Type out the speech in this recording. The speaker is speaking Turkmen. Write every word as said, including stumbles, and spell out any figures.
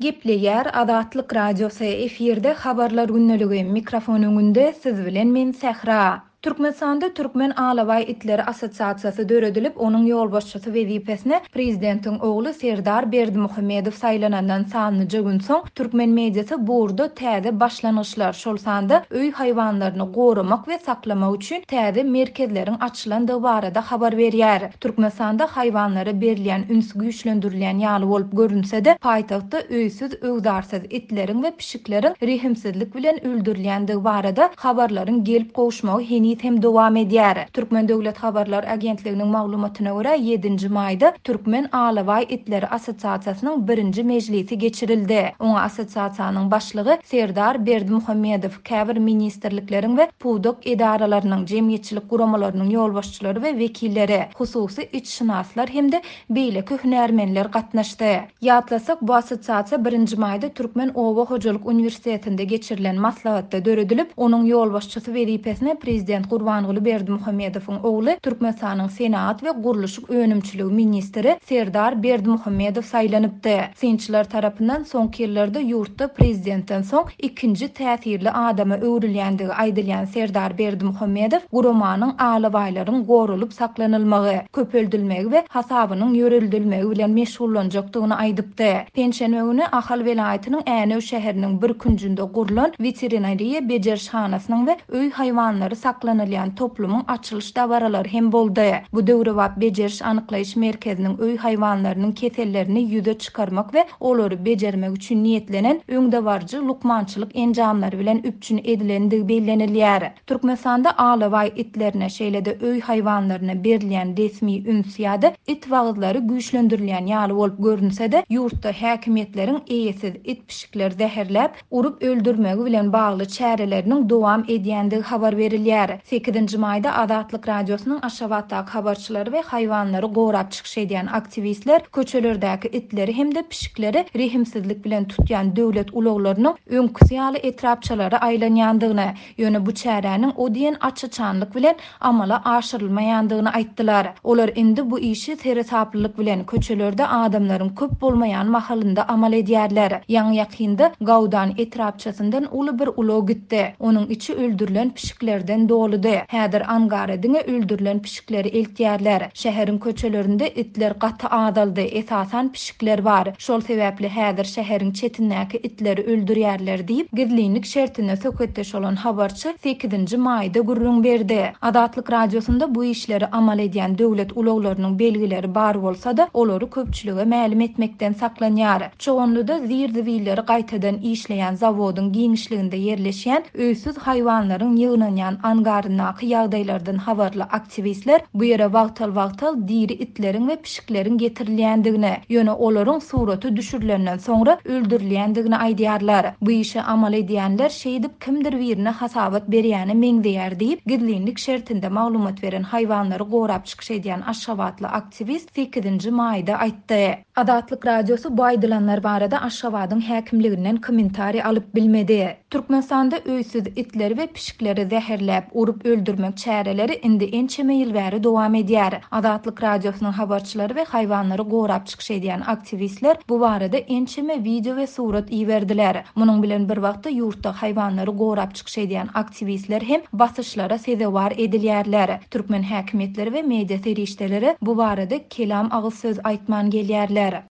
Gepleýär Azatlyk Radiosy, efirde Habarlar gündeligi, mikrofon öňünde siz bilen men Sähra. Türkmenistanda Türkmen alabaý itleri assosiasiýasy döredilip, onuň ýolbaşçysy wezipesine prezidentiň ogly Serdar Berdimuhamedow saýlanandan sanlyja gün soň türkmen mediasy bu ugurda täze başlangyçlar, şol sanda öý haýwanlaryny goramak we saklamak üçin täze merkezleriň açylandygy barada habar berýär. Türkmenistanda haýwanlara berilýän üns güýçlendirilýän ýaly bolup görünse-de, paýtagtda öýsüz-öwzarsyz itleriň we pişikleriň rehimsizlik bilen öldürilýändigi barada habarlaryň gelip gowuşmagy heniz hem dowam edýär. Türkmen döwlet habarlar agentliginiň maglumatyna görä, ýedinji maýda Türkmen alabaý itleri assosiasiýasynyň birinji mejlisi geçirildi. Oňa assosiasiýanyň başlygy Serdar Berdimuhamedow, käbir ministrlikleriň we pudak edaralarynyň, jemgyýetçilik guramalarynyň ýolbaşçylary we wekilleri, hususy itşynaslar hem-de beýleki hünärmenler gatnaşdy. Ýatlasak, bu assosiasiýa birinji maýda Türkmen oba hojalyk uniwersitetinde geçirilen maslahatda döredilip, onuň ýolbaşçysy wezipesine prezident Gurbanguly Berdimuhamedowyň ogly Türkmenistanyň senagat we gurluşyk önümçiligi ministri Serdar Berdimuhamedow saýlanypdy. Synçylar tarapyndan soňky ýyllarda ýurtda prezidentden soň ikinji täsirli adama öwrülýändigi aýdylýan Serdar Berdimuhamedow guramanyň alabaýlaryň goralyp saklanylmagy, köpeldilmegi we hasabynyň ýöredilmegi bilen meşgullanjakdygyny aýdypdy. Penşenbe güni Ahal welaýatynyň Änew şäheriniň bir künjünde gurlan weterinariýa bejerişhanasynyň we öý haýwanlary saklanylýan toplumyň açylyş dabaralary hem boldy. Bu döwrebap bejeriş anyklaýyş merkeziniň öý haýwanlarynyň kesellerini ýüze çykarmak we olary bejermek üçin niýetlenen öňdebaryjy lukmançylyk enjamlary bilen üpjün edilendigi bellenilýär. Türkmenistanda alabaý itlerine, şeýle-de öý haýwanlaryna berilýän resmi üns ýa-da it wagyzlary güýçlendirilýän ýaly bolup görünse-de, ýurtda häkimiýetleriň eýesiz it pişikleri zäherläp, urup öldürmegi bilen bagly çäreleriniň dowam edýändigi habar berilýär. Sekizinji maýda Azatlyk Radiosynyň Aşgabatdaky habarçylary we haýwanlary gorap çykyş edýän aktiwistler köçelerdäki itleri hem-de pişikleri rehimsizlik bilen tutýan döwlet ulaglarynyň öňküsi ýaly etrapçalara aýlanýandygyny, ýöne bu çäräniň o diýen aç-açanlyk bilen amala aşyrylmaýandygyny aýtdylar. Olar indi bu işi seresaplylyk bilen köçelerde adamlaryň köp bolmaýan mahalynda amal edýärler. Ýaňy ýakynda Gawdan etrapçasyndan uly bir ulag gitdi. Onuň içi öldürilen pişiklerden doludy. Häzir angara diňe öldürilen pişikleri eltýärler. Şäheriň köçelerinde itler gaty azaldy, esasan pişikler bar. Şol sebäpli häzir şäheriň çetindäki itleri öldürýärler diýip, gizlinlik şertinde söhbetdeş bolan habarçy sekizinji maýda gürrüň berdi. Azatlyk Radiosynda bu işleri amal edýän döwlet ulaglarynyň belgileri bar bolsa-da, olary köpçülige mälim etmekden saklanýar. Çoganlyda zir-zibilleri gaýtadan işleýän zawodyň giňişliginde ýerleşýän öýsüz haýwanlaryň ýygnanýan angaryndaky ýagdaýlardan habarly aktiwistler bu ýere wagtal-wagtal diri itleriň we pişikleriň getirilýändigini, ýöne olaryň suraty düşürilenden soňra öldürilýändigini aýdýarlar. Bu işe amal edýänler şeýdip kimdir birine hasabat berýäne meňzeýär diýip, gizlinlik şertinde maglumat beren haýwanlary gorap çykyş edýän Aşgabatly aktiwist sekizinji maýda aýtdy. Azatlyk Radiosy bu aýdylanlar barada Aşgabadyň häkimliginden kommentariý alyp bilmedi. Türkmenistanda öýsüz itleri we pişikleri zäherläp, urup öldürmek çäreleri indi ençeme ýyl bäri dowam edýär. Azatlyk Radiosynyň habarçylary we haýwanlary gorap çykyş edýän aktiwistler bu barada ençeme wideo we surat iberdiler. Munuň bilen bir wagtda ýurtda haýwanlary gorap çykyş edýän aktiwistler hem basyşlara sezewar edilýärler. Türkmen häkimiýetleri we media serişdeleri bu barada kelam agyz söz aýtman gelýärler.